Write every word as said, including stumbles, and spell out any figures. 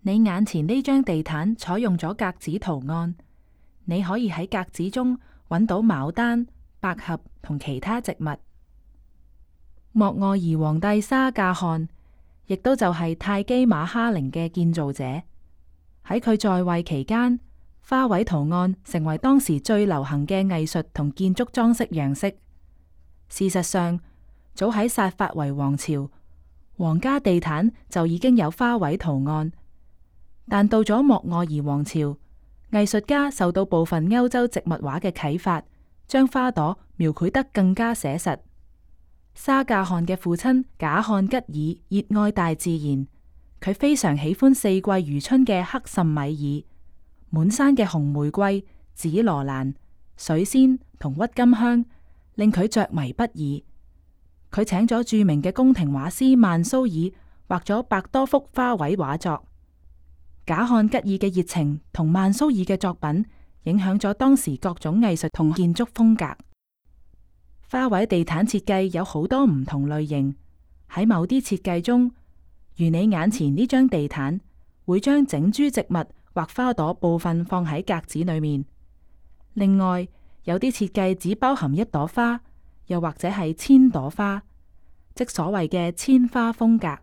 你眼前呢張地毯採用咗格子圖案，你可以喺格子中揾到牡丹、百合同其他植物。莫臥兒皇帝沙賈汗，亦都就係泰姬瑪哈陵嘅建造者。喺佢在位期間，花卉圖案成為當時最流行嘅藝術同建築裝飾樣式。事實上，早喺薩法維王朝，皇家地毯就已經有花卉圖案。但到咗莫臥兒王朝，藝術家受到部分歐洲植物畫嘅啟發，將花朵描繪得更加寫實。沙賈汗嘅父親賈漢吉爾熱愛大自然，佢非常喜歡四季如春嘅克什米爾、滿山嘅紅玫瑰、紫羅蘭、水仙同鬱金香，令佢着迷不已。佢請咗著名嘅宮廷畫師曼蘇爾畫咗百多幅花卉畫作。賈漢吉爾嘅熱情同曼蘇爾嘅作品影響咗當時各種藝術同建築風格。花卉地毯設計有好多唔同類型，喺某啲設計中，如你眼前呢張地毯，會將整株植物或花朵部分放喺格子裏面。另外，有啲設計只包含一朵花，又或者係千朵花，即所謂嘅千花風格。